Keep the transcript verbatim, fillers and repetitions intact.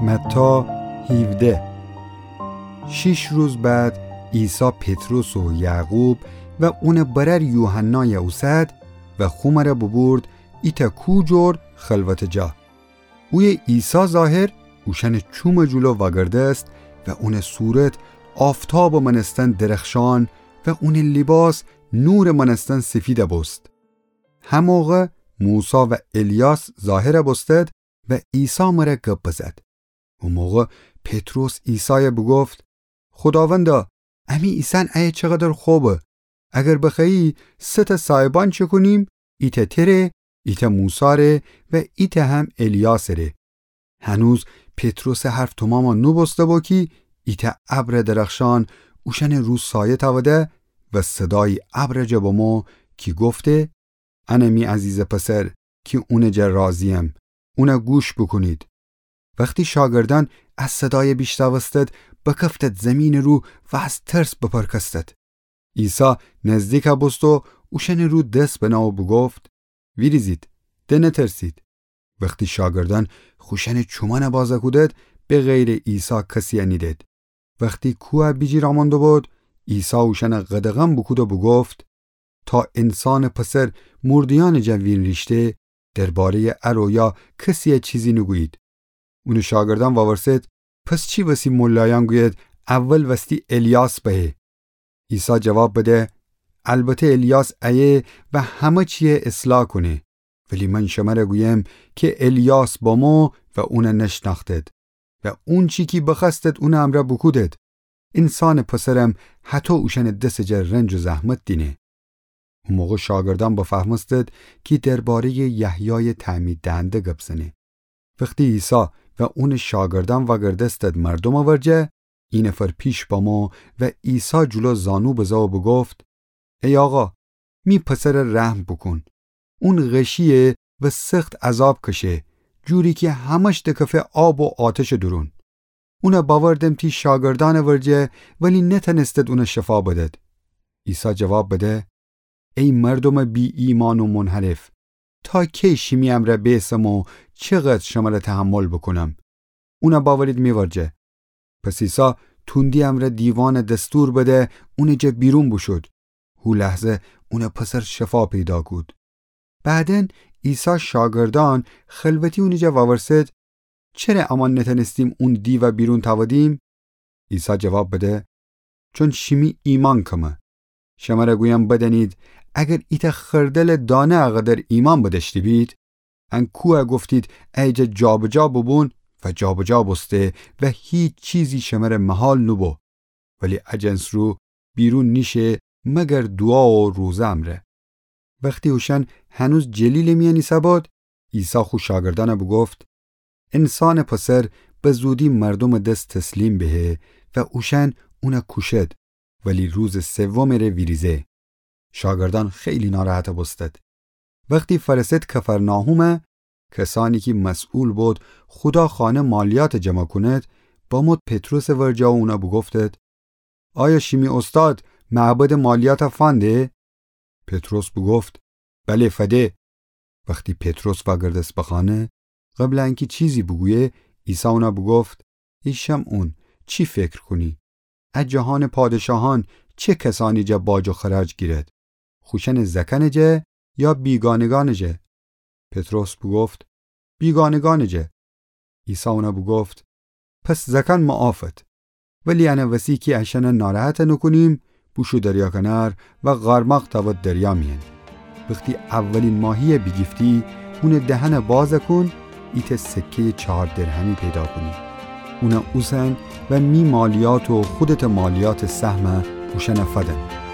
متی هیوده. شیش روز بعد عیسی پطرس و یعقوب و اونٚ برأر یوحنایَ اوسد و خومأرَ بوبورد ایتأ کوه جور خلوتٚ جا. اویه عیسی ظاهر اوشأنٚ چومٚ جلو وأگردست و اونٚ صورت آفتابٚ مأنستن درخشان و اونٚ لیباس نورٚ مأنستن سفیدَ بوست. هموقع موسی و الیاس ظاهرَ بوستد و عیسی مرأ گب بزد. او موقع پطرس عیسایَ بوگفت: خوداوندا، امی ایسأن ایه چقدر خوبه! اگر بخوأیی، سه‌تأ سایبان چکونیم، ایتأ تره، ایتأ موساره و ایتأ هم الیاسره. هنوز پطرسٚ حرف تومامَ نوبوسته‌بو کی ایتأ ابرٚ درخشان اوشأنٚ رو سایه تأوده و صدایی ابرٚ جا بمو کی گفته: انه می عزیزٚ پسر کی اونٚ جا راضی‌یم، اونَ گوش بوکونید. وختی شاگردأن ا صدایَ بیشنوستد، بکفتد زیمینٚ رو و از ترس بپرکستد. عیسی نزدیکَ بوست و اوشأنٚ رو دس بنه و بوگفت: ویریزید، دنترسید. وختی شاگردأن خوشأنٚ چومأنَ بازَ کودد، به غیرٚ عیسی کسی‌یَ نیدد. وختی کوهَ بیجیر آمون دوبود، عیسی اوشأنَ قدغن بوکود و بوگفت: تا انسانٚ پسر مورده‌یأنٚ جا وینریشته، درباره‌یٚ ا رویا کسی‌یَ چیزی نوگویید. اونٚ شاگردأن وورسد: پس چی وسی ملایأن گویید اول وستی الیاس بأیه؟ عیسی جواب بده: البته الیاس ایه و همه چی‌یَ اصلاح کونه. ولی من شمرَ گویم کی الیاس بمو و اونَ نشنأختید و اونچی کی بخوأستید اونٚ امرأ بوکودید. انسانٚ پسرم هطو اوشأنٚ دسٚ جا رنج و زحمت دینه. او موقع شاگردأن بفهمستید کی درباره‌یٚ یحیایٚ تعمیددهنده گب زنه. وختی عیسی و اونٚ شاگردأن وأگردستید مردومٚ ورجه، اینفر پیش بامو و عیسی جلو زانو بزه و بوگفت: ای آقا، می پسرَ رحم بوکون. اون غشییه و سخت عذاب کشه، جوری کی همه‌ش دکفه آب و آتشٚ دورون. اونَ بأوردم تی شاگردأنٚ ورجه، ولی نتأنستید اونَ شفا بدید. عیسی جواب بده: ای مردومٚ بی‌ایمأن و منحرف، تا کی شیمی امرأ بیسم و چقدر شمرَ تحمل بوکونم؟ اونَ بأورید می ورجه. پس عیسی تندی امرأ دیوانَ دستور بده اونٚ جا بیرون بوشود. هو لحظه اونٚ پسر شفا پیدا کود. بعداً عیسی شاگردأن خلوتی اونٚ جا وأورسد: چره امأن نتأنستیم اون دیوَ بیرون تأودیم؟ عیسی جواب بده: چون شیمی ایمأن کمه. شمرَ گویم بدأنید، اگر ایتأ خردلٚ دانه اقدر ایمأن بدأشته بید، ان کوهَ گفتید ایجا جابجا بوبون و جابجا بوسته و هیچ چیزی شمرَ محال نوبو. ولی ا جنس رو بیرون نیشه مگر دوعا و روزه امرأ. وختی اوشأن هنوز جلیلٚ میأن ایسه‌بود، عیسی خو شاگردأنَ بوگفت: انسانٚ پسر به زودی مردومٚ دس تسلیم بهه و اوشأن اونَ کوشد، ولی روزٚ سومٚ ره ویریزه. شاگردأن خیلی ناراحت بوستد. وختی فأرسد کفرناحومَ، کسأنی کی مسئول بود خودا خانه مالیات جمع کونید، بمود پطرسٚ ورجه و اونَ بوگفتد: آیا شیمی اوستاد معبدٚ مالیاتَ فنده؟ پطرس بوگفت: بله، فده. وختی پطرس وأگردست به خانه، قبلٚ انکی چیزی بوگویه، عیسی اونَ بوگفت: ای شمعون، چی فکر کونی؟ ا جهانٚ پادشاهأن چه کسأنی جا باج و خراج گیرد؟ خوشأنٚ زأکأنٚ جا یا بیگانگأنٚ جا؟ پطرس بوگفت: بیگانگأنٚ جا. عیسی اونَ بوگفت: پس زأکأن معافد. ولی انٚ وسی کی اشأنَ ناراحت نوکونیم، بوشو دریا کنار و قارماق تأود دریا میأن. وختی اولین ماهیَ بیگیفتی، اونٚ دهنَ بازَ کون، ایتأ سکه‌یٚ چهار درهمی پیدا کونی. اونَ اوسن و می مالیات و خودتٚ مالیاتٚ سهمَ اوشأنَ فدن.